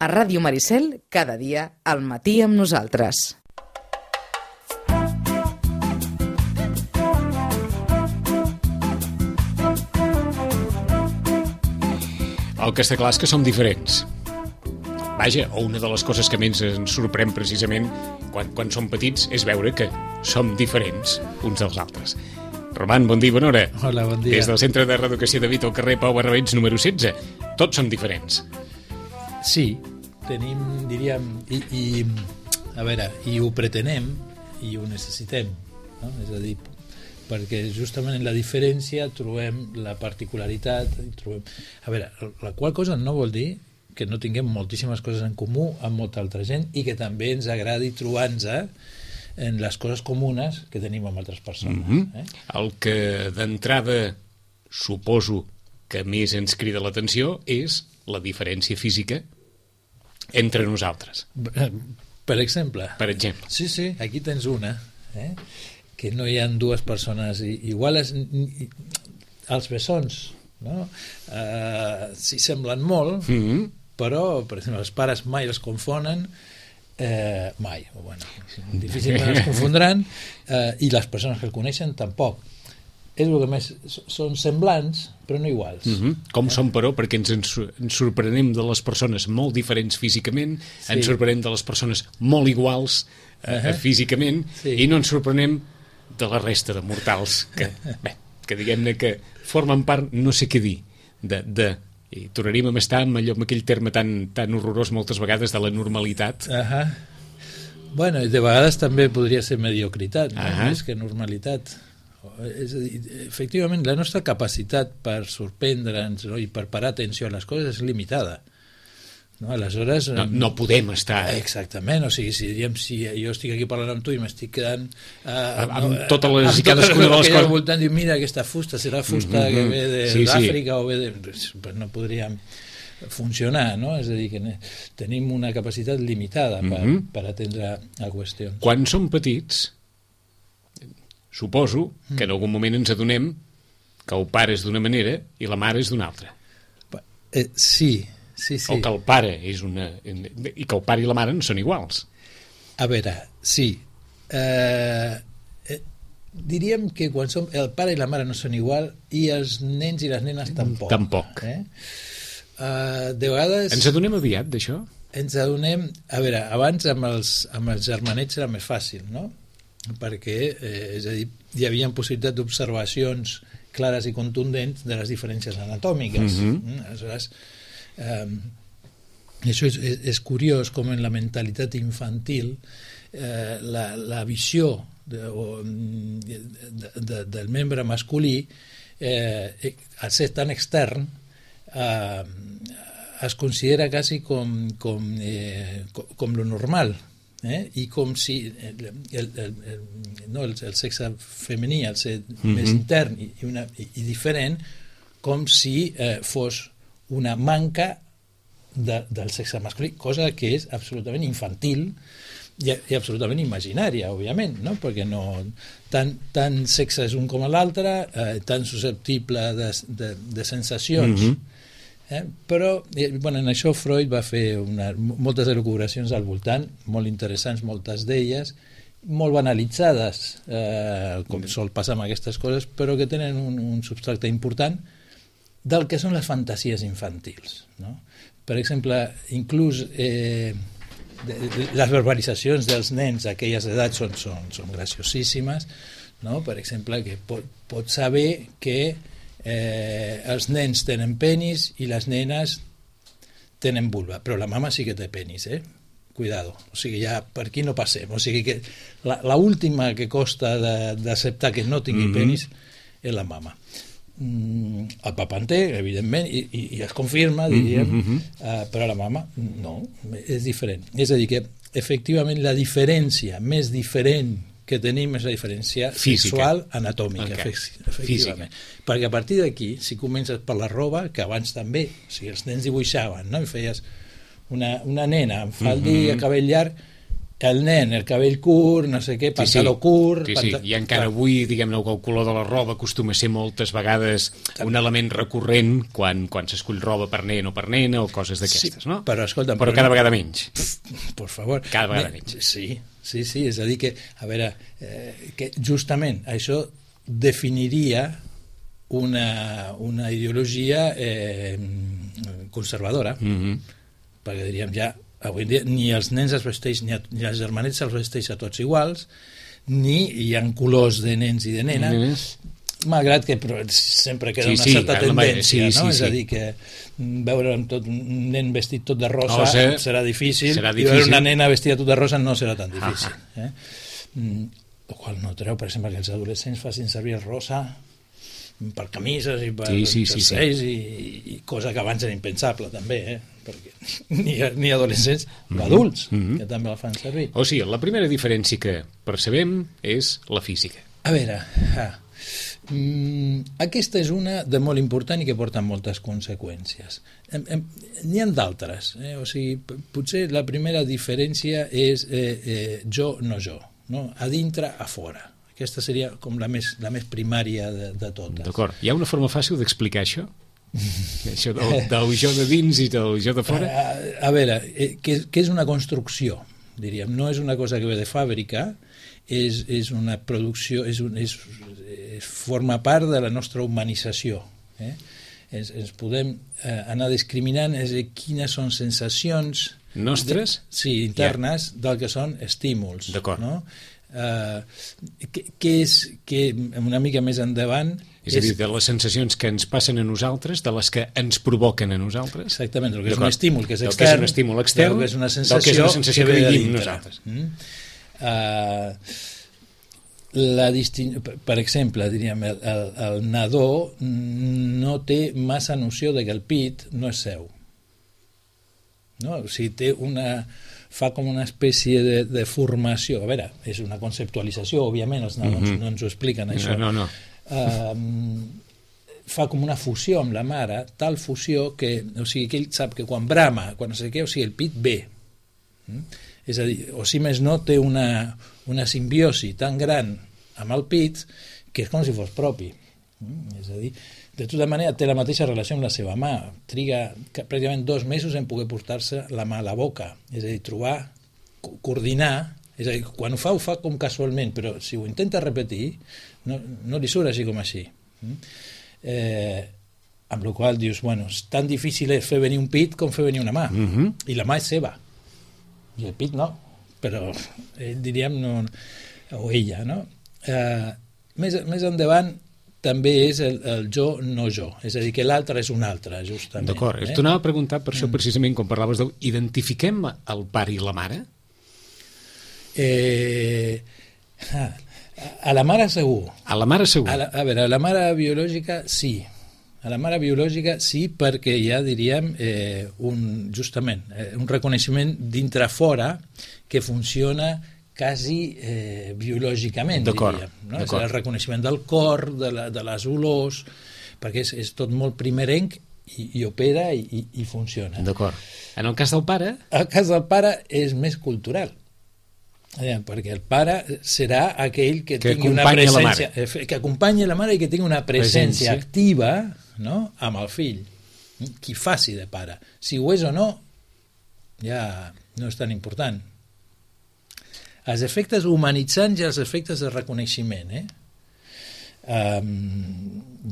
A Ràdio Maricel, cada dia, al matí amb nosaltres. El que està clar és que som diferents. Vaja, o una de les coses que més ens sorprèn precisament quan som petits és veure que som diferents uns dels altres. Roman, bon dia, bona hora. Hola, bon dia. Des del Centre de Reeducació de Vita al carrer Pau Barrabets número 16. Tots som diferents. Sí, tenim, diríem, a veure, i ho pretenem i ho necessitem, no? És a dir, perquè justament en la diferència trobem la particularitat, a veure, la qual cosa no vol dir que no tinguem moltíssimes coses en comú amb molta altra gent i que també ens agradi trobar-nos en les coses comunes que tenim amb altres persones. El que d'entrada suposo que més ens crida l'atenció és la diferència física entre nosaltres. Per exemple. Per exemple. Sí, aquí tens una, que no hi ha dues persones iguals. Els bessons, no? S'hi semblen molt, però, per exemple, els pares mai els confonen, mai, bueno, difícilment els confondran, i les persones que el coneixen tampoc. És el que més són semblants, però no iguals. Com som, però, perquè ens sorprenem de les persones molt diferents físicament, ens sorprenem de les persones molt iguals físicament, i no ens sorprenem de la resta de mortals que diguem-ne que formen part, no sé què dir, i tornaríem a estar amb aquell terme tan horrorós moltes vegades de la normalitat. Bueno, de vegades també podria ser mediocritat, més que normalitat. És a dir, efectivament, la nostra capacitat per sorprendre'ns, no? I per parar atenció a les coses és limitada. No? Aleshores... No podem estar... Exactament, o sigui, si jo estic aquí parlant amb tu i m'estic quedant... amb totes les i cadascuna de les coses... al voltant, diu, mira, aquesta fusta, serà fusta que ve d'Àfrica o ve de... Pues no podríem funcionar, no? És a dir, que tenim una capacitat limitada per atendre a qüestions. Quan som petits, suposo que en algun moment ens adonem que el pare és d'una manera i la mare és d'una altra. Sí. O que el pare és una... i que el pare i la mare no són iguals. A veure, sí. Diríem que quan som... el pare i la mare no són igual i els nens i les nenes tampoc. Tampoc. De vegades... Ens adonem aviat d'això? Ens adonem... A veure, abans amb els germanets era més fàcil, no? Perquè, és a dir, hi havia possibilitat d'observacions clares i contundents de les diferències anatòmiques. Aleshores, això és curiós com en la mentalitat infantil la visió del membre masculí, al ser tan extern, es considera quasi com lo normal, i com si el sexe femení, al ser més intern i diferent, com si fos una manca del sexe masculí, cosa que és absolutament infantil i absolutament imaginària, òbviament, no? Perquè tant sexe és un com l'altre, tan susceptible de sensacions, però en això Freud va fer moltes elucubracions al voltant, molt interessants, moltes d'elles, molt banalitzades, com sol passar amb aquestes coses, però que tenen un substracte important del que són les fantasies infantils, no? Per exemple, inclús les verbalitzacions dels nens a aquelles edats són graciosíssimes, no? Per exemple, que pot saber que els nens tenen penis i les nenes tenen vulva, però la mama sí que té penis, cuidado, o sigui, ja per aquí no passem, o sigui que l'última que costa d'acceptar que no tingui penis és la mama. El papa en té, evidentment, i es confirma, diríem, però la mama no, és diferent. És a dir, que efectivament la diferència més diferent que tenim és la diferència sexual anatòmica, efectivament. Perquè a partir d'aquí, si comences per la roba, que abans també, o sigui, els nens dibuixaven, no? I feies una nena amb faldilla, cabell llarg, el nen, el cabell curt, no sé què, pantaló curt... Sí. I encara avui, diguem-ne, el color de la roba acostuma a ser moltes vegades un element recurrent quan s'escull roba per nen o per nena o coses d'aquestes, no? Però, escolta, però cada vegada menys. Per favor. Cada vegada menys. Sí, és a dir que, a veure, que justament això definiria una ideologia conservadora, perquè diríem ja avui en dia ni els nens es vesteix ni els germanets se'ls vesteix a tots iguals, ni hi ha colors de nens i de nenes, malgrat que sempre queda una certa tendència, no? És a dir, que veure un nen vestit tot de rosa serà difícil, i veure una nena vestida tot de rosa no serà tan difícil. El qual no treu, per exemple, que els adolescents facin servir el rosa per camises i per jerseis i cosa que abans era impensable també, perquè ni adolescents adults que també la fan servir. O sigui, la primera diferència que percebem és la física. A veure, aquesta és una de molt important i que porta moltes conseqüències. N'hi ha d'altres, o sigui, potser la primera diferència és jo, no jo, no? A dintre, a fora. Aquesta seria com la més primària de totes. D'acord. Hi ha una forma fàcil d'explicar això? Això del jo de dins i del jo de fora? A veure, que és una construcció, diríem. No és una cosa que ve de fàbrica, és una producció, forma part de la nostra humanització. Ens podem anar discriminant quines són sensacions nostres? Sí, internes del que són estímuls. D'acord. No? Que una mica més endavant és a dir, de les sensacions que ens passen a nosaltres, de les que ens provoquen a nosaltres. Exactament, el que és un estímul que és extern, del que és un estímul extern, del que és una sensació que vivim nosaltres. Per exemple, diríem, el nadó no té massa noció de que el pit no és seu. No? O sigui, fa com una espècie de formació. A veure, és una conceptualització, òbviament, els nadons no ens ho expliquen, això. No. Fa com una fusió amb la mare, tal fusió que, o sigui, que ell sap que quan brama, quan no sé què, o sigui, el pit ve. És a dir, o si més no, té una simbiosi tan gran amb el pit que és com si fos propi. És a dir, de tota manera té la mateixa relació amb la seva mà, triga pràcticament 2 mesos en poder portar-se la mà a la boca, és a dir, trobar, coordinar, és a dir, quan ho fa com casualment, però si ho intenta repetir no li surt així com així. Amb la qual dius, bueno, és tan difícil fer venir un pit com fer venir una mà, i la mà és seva i el pit no, però ell, diríem, no, o ella, no? Més endavant també és el jo, no jo. És a dir, que l'altre és un altre, justament. D'acord. T'ho anava a preguntar per això, precisament, quan parlaves de... Identifiquem el pare i la mare? A la mare segur. A la mare segur. A veure, a la mare biològica sí. A la mare biològica sí, perquè hi ha, diríem, justament, un reconeixement dintre-fora que funciona quasi biològicament, diríem. No? És el reconeixement del cor, de les olors, perquè és tot molt primerenc i opera i funciona. D'acord. En el cas del pare? El cas del pare és més cultural. Perquè el pare serà aquell que tingui una presència, que acompanyi la mare i que tingui una presència activa, no? Amb el fill, qui faci de pare. Si ho és o no, ja no és tan important. Els efectes humanitzants i els efectes de reconeixement,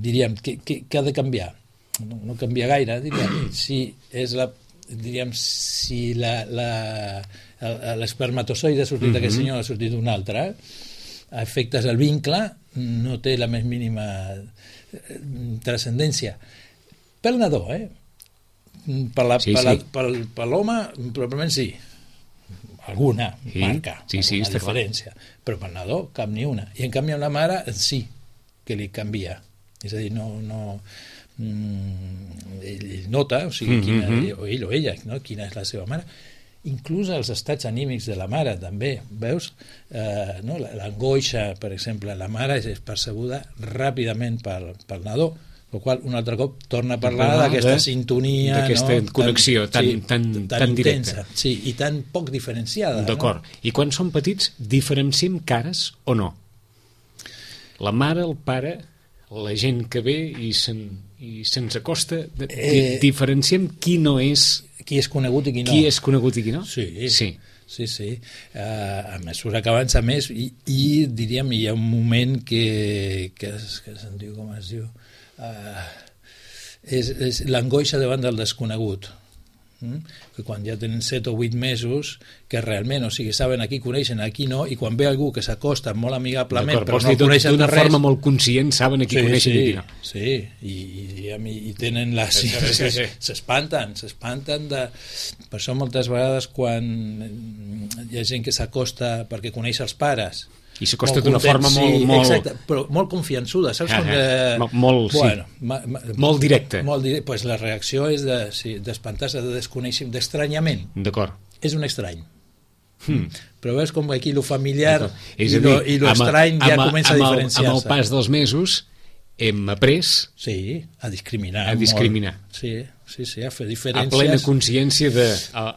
diríem, que ha de canviar. No canvia gaire, diríem, si l'espermatozoide ha sortit d'aquest senyor, ha sortit d'un altre, a efectes del vincle no té la més mínima transcendència. Pel nadó, per l'home probablement sí, alguna marca, alguna diferència, però per nadó cap ni una, i en canvi amb la mare sí que li canvia, és a dir, ell nota, o sigui, o ell o ella, no? Quina és la seva mare, inclús els estats anímics de la mare també, veus? L'angoixa, per exemple, la mare és percebuda ràpidament pel nadó, el qual un altre cop torna a parlar d'aquesta sintonia, d'aquesta connexió tan directa, intensa, sí, i tan poc diferenciada. D'acord. I quan som petits diferenciem cares o no? La mare, el pare, la gent que ve i se'ns acosta, diferenciem qui no és, qui és conegut i qui no. Qui és conegut i qui no? Sí. A mesura que avança més i diríem, hi ha un moment que se'n diu, com es diu, és l'angoixa davant del desconegut, que quan ja tenen 7 o 8 mesos, que realment, o sigui, saben a qui coneixen, a qui no, i quan ve algú que s'acosta molt amigablement però no el coneixen de res, d'una forma molt conscient saben a qui coneixen i qui no. Sí, i tenen la... S'espanten per això moltes vegades quan hi ha gent que s'acosta perquè coneix els pares i s'acosta d'una forma molt... Exacte, però molt confiançuda, saps? Molt directa. Pues la reacció és d'espantar-se, de desconeixement, d'estranyament. D'acord. És un estrany. Però veus com aquí lo familiar i lo estrany ja comença a diferenciar-se. Amb el pas dels mesos hem après a discriminar. Sí, a fer diferències. A plena consciència de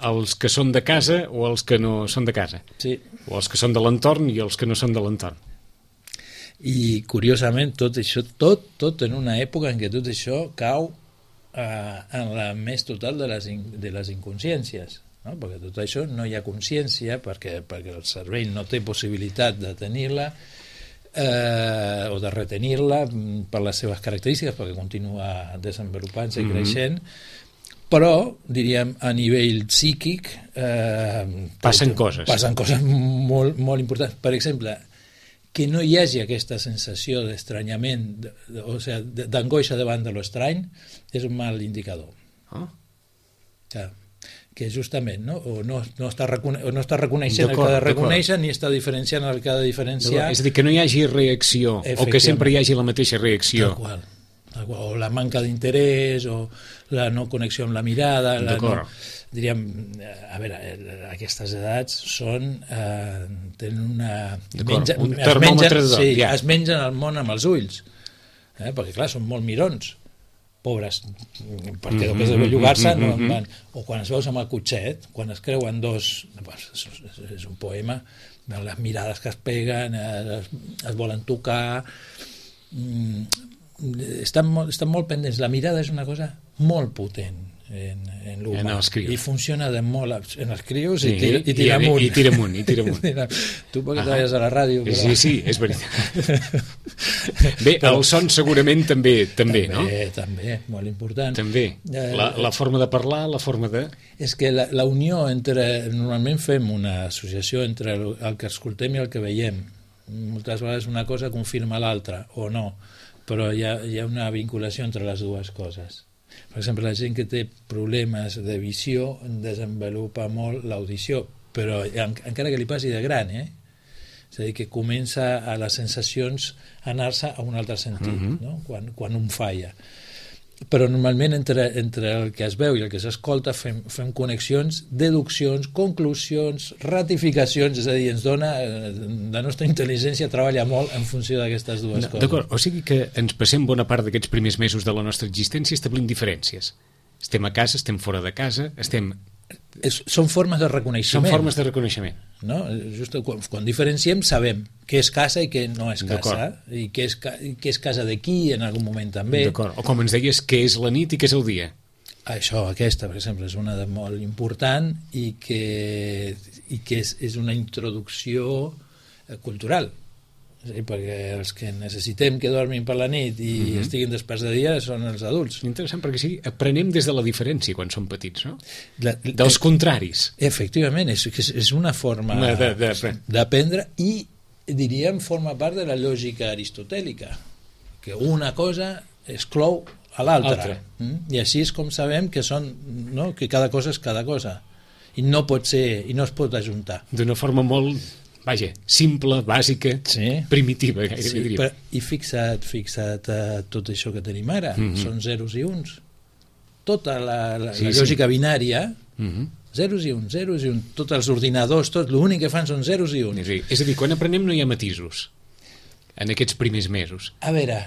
els que són de casa o els que no són de casa. Sí. O els que són de l'entorn i els que no són de l'entorn. I curiosament tot això, tot en una època en què tot això cau en la més total de les inconsciències, no? Perquè tot això no hi ha consciència perquè el cervell no té possibilitat de tenir-la o de retenir-la per les seves característiques, perquè continua desenvolupant-se i creixent, però, diríem, a nivell psíquic passen coses molt, molt importants. Per exemple, que no hi hagi aquesta sensació d'estranyament, o sigui, d'angoixa davant de l'estrany, és un mal indicador. Que justament no està reconeixent el que ha de reconèixer ni està diferenciant el que ha de diferenciar. És a dir, que no hi hagi reacció o que sempre hi hagi la mateixa reacció. Tal qual. O la manca d'interès o la no connexió amb la mirada. Diríem, a veure, aquestes edats tenen una... un termòmetre es mengen el món amb els ulls, perquè clar, són molt mirons, pobres, perquè després de bellugar-se no en van. O quan es veus amb el cotxet, quan es creuen dos, és un poema, les mirades que es peguen, es volen tocar, estan molt pendents. La mirada és una cosa molt potent en l'humà i funciona de molt en els crios i tira amunt. I tira amunt. Tu perquè treballes a la ràdio. Sí, és veritat. Bé, el son segurament també, no? També, molt important. També, la forma de parlar, la forma de... És que la unió entre... Normalment fem una associació entre el que escoltem i el que veiem. Moltes vegades una cosa confirma l'altra, o no, però hi ha una vinculació entre les dues coses. Per exemple, la gent que té problemes de visió desenvolupa molt l'audició, però encara que li passi de gran, és a dir, que comença a les sensacions a anar-se a un altre sentit, no? Quan un falla. Però normalment entre el que es veu i el que s'escolta fem connexions, deduccions, conclusions, ratificacions, és a dir, ens dona, la nostra intel·ligència treballa molt en funció d'aquestes dues coses. D'acord, o sigui que ens passem bona part d'aquests primers mesos de la nostra existència establint diferències. Estem a casa, estem fora de casa, són formes de reconeixement. Són formes de reconeixement. No? Just quan diferenciem sabem què és casa i què no és casa, i què és casa de qui en algun moment també. D'acord. O com ens deies, què és la nit i què és el dia. Aquesta, per exemple, és una de molt important i que és una introducció cultural. Perquè els que necessitem que dormin per la nit i estiguin desperts de dia són els adults. Interessant, perquè aprenem des de la diferència quan som petits, no? Dels contraris. Efectivament, és una forma d'aprendre i, diríem, forma part de la lògica aristotèlica, que una cosa exclou a l'altra. I així és com sabem que que cada cosa és cada cosa. I no pot ser, i no es pot ajuntar. D'una forma molt... Vaja, simple, bàsica, primitiva, gairebé diria. I fixa't tot això que tenim ara, són zeros i uns. Tota la lògica binària, zeros i uns, tots els ordinadors, l'únic que fan són zeros i uns. És a dir, quan aprenem no hi ha matisos, en aquests primers mesos. A veure,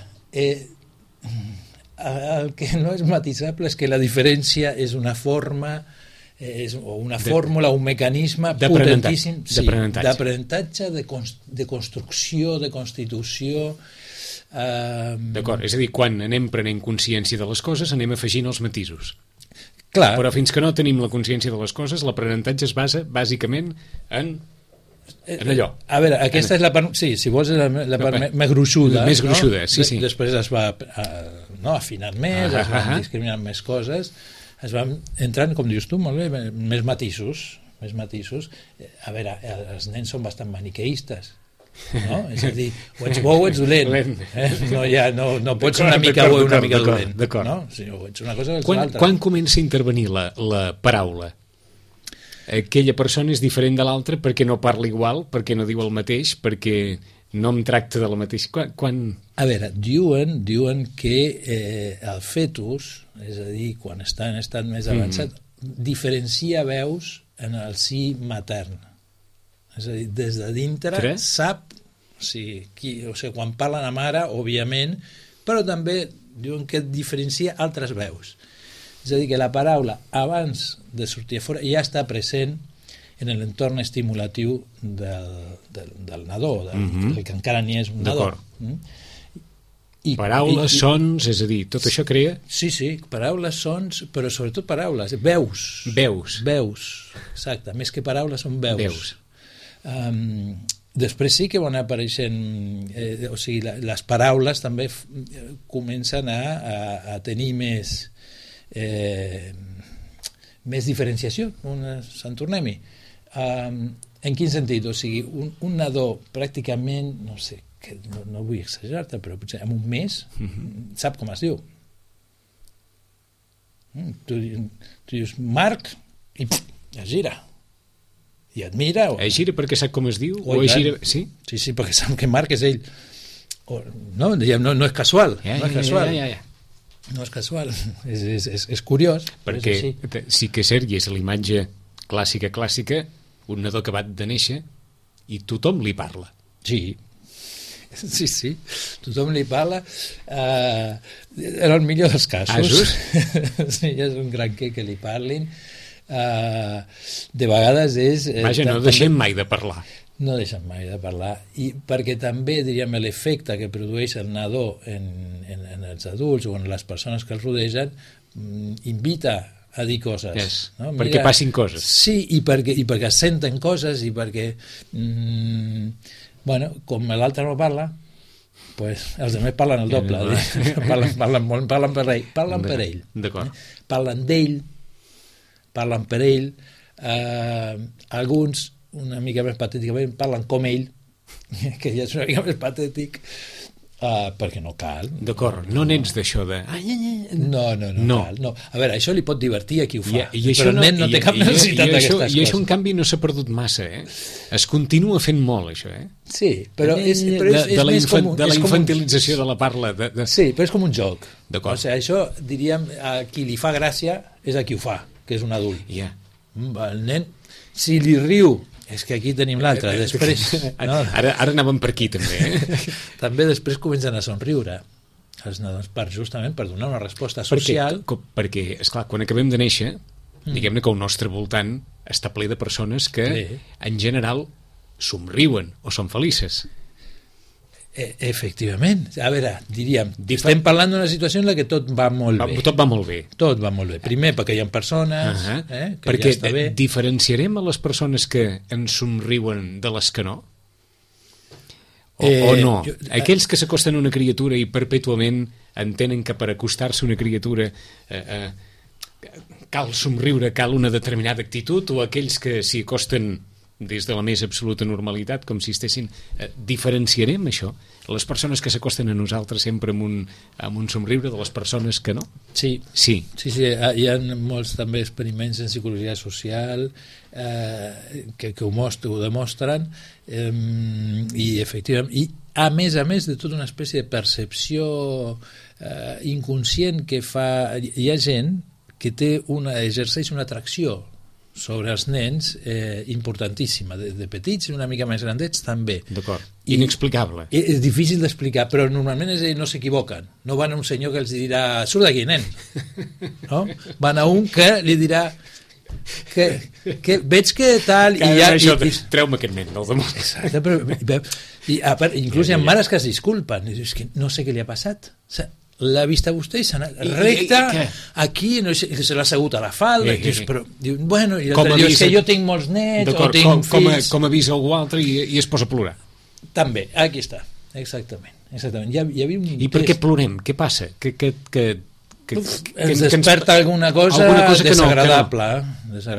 el que no és matisable és que la diferència és una forma o una fórmula, un mecanisme potentíssim d'aprenentatge, de construcció, de constitució. D'acord, és a dir, quan anem prenent consciència de les coses anem afegint els matisos. Clar. Però fins que no tenim la consciència de les coses, l'aprenentatge es basa bàsicament en allò. A veure, aquesta és la part, sí, si vols la part més gruixuda. Més gruixuda, no? Sí. Després es va afinant més, es van discriminant més coses, es van entrant, com dius tu, molt bé, més matisos. A veure, els nens són bastant maniqueistes, no? És a dir, o ets bo o ets dolent. No pots ser una mica bo i una mica dolent. No? Si no, ets una cosa o ets l'altra. Quan comença a intervenir la paraula? Aquella persona és diferent de l'altra perquè no parla igual, perquè no diu el mateix, perquè no em tracta de la mateixa... A veure, diuen que el fetus, és a dir, quan està en estat més avançat, diferencia veus en el si matern. És a dir, des de dintre sap, quan parla la mare, òbviament, però també diuen que diferencia altres veus. És a dir, que la paraula, abans de sortir a fora, ja està present en l'entorn estimulatiu del nadó, del que encara ni és un nadó. Paraules, sons, és a dir, tot això crea? Sí, paraules, sons, però sobretot paraules, veus, exacte, més que paraules són veus. Després sí que van apareixent, o sigui, les paraules també comencen a tenir més diferenciació, Sant Tornem-hi. En quin sentit? O sigui, un nadó pràcticament, no sé, que no vull exagerar-te, però potser en un mes sap com es diu. Tu dius Marc i es gira i et mira. Es gira perquè sap com es diu? Sí, perquè sap que Marc és ell. No és casual. No és casual, és curiós. Perquè sí que és cert, i és l'imatge clàssica, un nadó acabat de néixer i tothom li parla. Sí, tothom li parla, en el millor dels casos. Sí, és un gran que li parlin. De vegades és... Vaja, no deixem mai de parlar. No deixen mai de parlar, i perquè també, diríem, l'efecte que produeix el nadó en els adults o en les persones que els rodegen invita a dir coses. No? Perquè passin coses. Sí, i perquè es senten coses, i perquè com l'altre no parla, pues els altres parlen el doble. Parlen per ell. Parlen d'ell, parlen per ell. Alguns, una mica més patèticament, parlen com ell, que ja és una mica més patètic, perquè no cal. D'acord, no n'ets d'això de... No cal. No. A veure, això li pot divertir a qui ho fa, però el nen no té cap necessitat d'aquestes coses. I això, en canvi, no s'ha perdut massa, Es continua fent molt, això, Sí, però és més com un... De la infantilització de la parla. Sí, però és com un joc. D'acord. O sigui, això, diríem, a qui li fa gràcia és a qui ho fa, que és un adult. El nen, si li riu, és que aquí tenim l'altre, després... Ara anàvem per aquí, també. També després comencen a somriure els nadons, justament per donar una resposta social. Perquè, esclar, quan acabem de néixer, diguem-ne que el nostre voltant està ple de persones que, en general, somriuen o són felices. Efectivament. A veure, diríem, estem parlant d'una situació en la que tot va molt bé. Tot va molt bé. Tot va molt bé. Primer, perquè hi ha persones que perquè ja està bé. Diferenciarem a les persones que ens somriuen de les que no? O no? Aquells que s'acosten a una criatura i perpètuament entenen que per acostar-se a una criatura cal somriure, cal una determinada actitud, o aquells que s'hi acosten des de la més absoluta normalitat, com si estessin... Diferenciarem això? Les persones que s'acosten a nosaltres sempre amb un somriure, de les persones que no? Sí. Hi ha molts també experiments en psicologia social que ho demostren, i efectivament, i a més de tota una espècie de percepció inconscient que fa... Hi ha gent que exerceix una atracció sobre els nens importantíssima, de petits i una mica més grandets també. D'acord, inexplicable. És difícil d'explicar, però normalment no s'equivoquen. No van a un senyor que els dirà surt d'aquí, nen. No? Van a un que li dirà que veig que tal treu-me aquest nen del damunt. Exacte, però inclús hi ha mares que es disculpen i dius que no sé què li ha passat, l'ha vist a vostè i s'ha anat recta aquí, no sé, se l'ha assegut a la falda però diu, bueno, i l'altre diu, és que jo tinc molts nets o tinc fills, com avisa algú altre i es posa a plorar també, aquí està, exactament. Hi havia i per què plorem? Què passa? Ens desperta alguna cosa desagradable,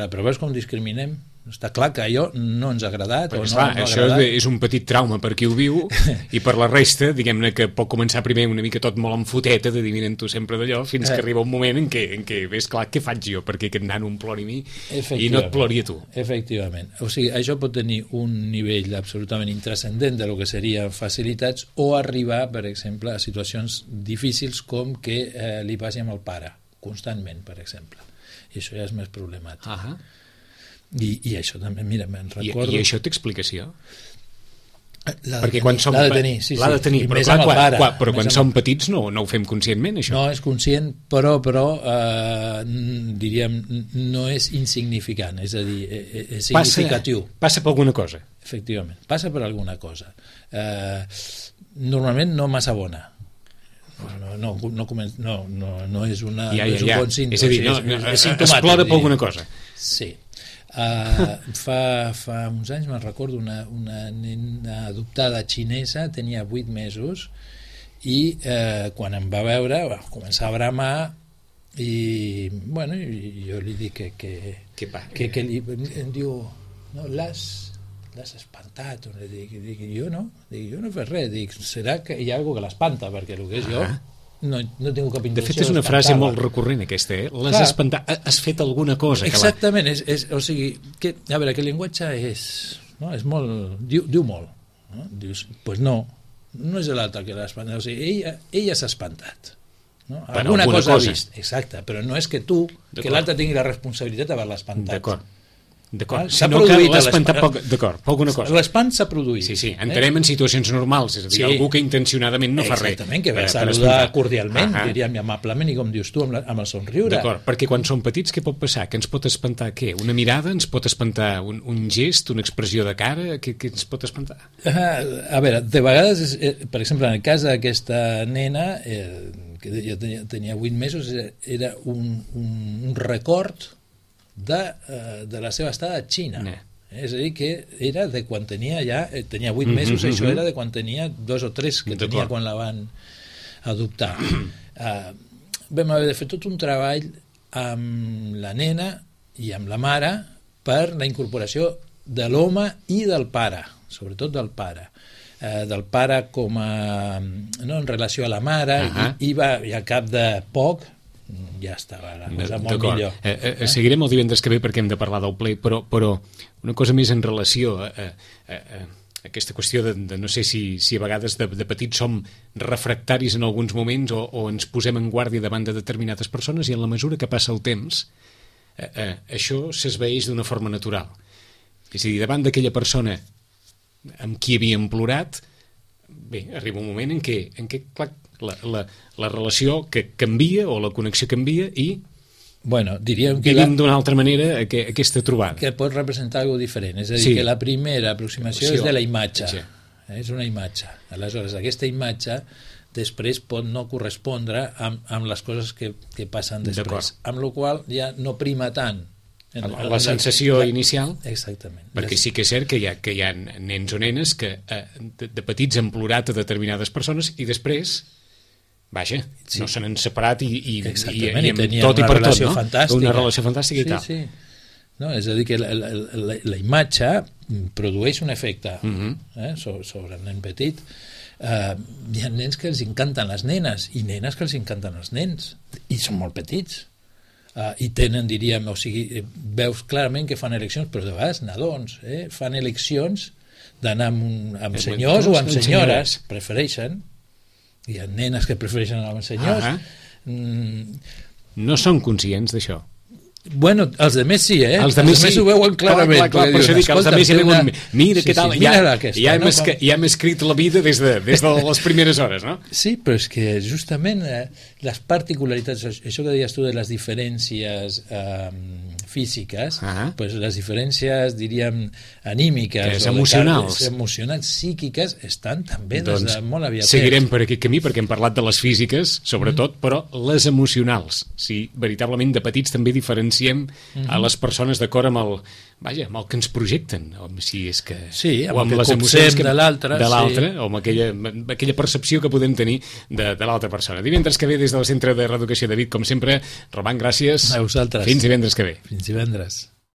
però veus com discriminem? Està clar que allò no ens ha agradat o no ha això agradat. És un petit trauma per qui ho viu i per la resta, diguem-ne que pot començar primer una mica tot molt en foteta d'adivinant tu sempre d'allò, fins que arriba un moment en què ves clar què faig jo perquè aquest nano em plori a mi i no et plori a tu. Efectivament, o sigui, això pot tenir un nivell absolutament intranscendent de lo que serien facilitats o arribar, per exemple, a situacions difícils com que li passi amb el pare constantment, per exemple, i això ja és més problemàtic. I això també, mira, me'n recordo... I això té explicació? Perquè quan som... L'ha de tenir, sí. L'ha de tenir, però quan som petits no ho fem conscientment, això. No és conscient, però diríem, no és insignificant, és a dir, és significatiu. Passa per alguna cosa. Efectivament, passa per alguna cosa. Normalment no massa bona. No és un bon símptoma. És a dir, es plora per alguna cosa. Sí. Fa uns anys me'n recordo una nena adoptada xinesa, tenia 8 mesos i quan em va veure començar a bramar i bueno, jo li dic que em diu no, l'has espantat, dic, jo no he fet res, dic, serà que hi ha alguna que l'espanta perquè el que és jo no tinc cap intenció. De fet és una frase molt recurrent aquesta, l'has espantat, has fet alguna cosa. Exactament, o sigui que, a veure, que el llenguatge és molt, diu molt, no? Dius, pues no és l'altre que l'ha espantat, o sigui, ella s'ha espantat, no? Alguna cosa ha vist, exacte, però no és que tu, que l'altre tingui la responsabilitat d'haver-la espantat. D'acord, s'ha produït alguna cosa. L'espant s'ha produït. Sí, entenem en situacions normals, és a dir, algú que intencionadament no fa res. Exactament, que va saludar cordialment, diríem amablement i com dius tu, amb el somriure. D'acord, perquè quan som petits què pot passar? Què ens pot espantar? Què? Una mirada? Ens pot espantar un gest, una expressió de cara? Què ens pot espantar? A veure, de vegades, per exemple, en el cas d'aquesta nena, que jo tenia 8 mesos, era un record de la seva estada a Xina. És a dir, que era de quan tenia 8 mesos, això era de quan tenia 2 o 3 que tenia quan la van adoptar. Vam haver de fer tot un treball amb la nena i amb la mare per la incorporació de l'home i del pare, sobretot del pare. Del pare com a en relació a la mare i al cap de poc ja estava la cosa molt millor. Seguirem el divendres que ve perquè hem de parlar del ple, però una cosa més en relació a aquesta qüestió de no sé si a vegades de petits som refractaris en alguns moments o ens posem en guàrdia davant de determinades persones i en la mesura que passa el temps això s'esvaeix d'una forma natural. És a dir, davant d'aquella persona amb qui havíem plorat, bé, arriba un moment en què clar, la relació que canvia o la connexió canvia i diríem que vivim d'una altra manera aquesta trobada. Que pot representar alguna cosa diferent. És a dir, que la primera aproximació és de la imatge. És una imatge. Aleshores, aquesta imatge després pot no correspondre amb les coses que passen després. Amb la qual cosa ja no prima tant la sensació inicial. Exactament. Perquè sí que és cert que hi ha nens o nenes que de petits han plorat a determinades persones i després no se n'han separat i amb tot i per tot, no? Una relació fantàstica i tal. Sí. No, és a dir, que la imatge produeix un efecte sobre el nen petit. Hi ha nens que els encanten les nenes i nenes que els encanten els nens i són molt petits. I tenen, diríem, o sigui, veus clarament que fan eleccions, però de vegades nadons fan eleccions d'anar amb senyors o amb senyores, prefereixen. Hi ha nenes que prefereixen anar amb senyors. No són conscients d'això. Bueno, els de més sí, Els de més ho veuen clarament. Clar, per això dic, els de més ja veuen, mira què tal, ja hem escrit la vida des de les primeres hores, no? Sí, però és que justament les particularitats, això que deies tu de les diferències físiques, pues les diferències, diríem, anímiques, emocionals, psíquiques, estan també des de molt aviat. Seguirem per aquest camí, perquè hem parlat de les físiques, sobretot, però les emocionals, si veritablement de petits també diferenciem a les persones d'acord amb el que ens projecten, si és que... Sí, o amb les emocions de l'altre, o amb aquella percepció que podem tenir de l'altra persona. Divendres que ve, des del Centre de Reeducació de Vic, com sempre, Roman, gràcies. A vosaltres. Fins divendres que ve. Fins divendres.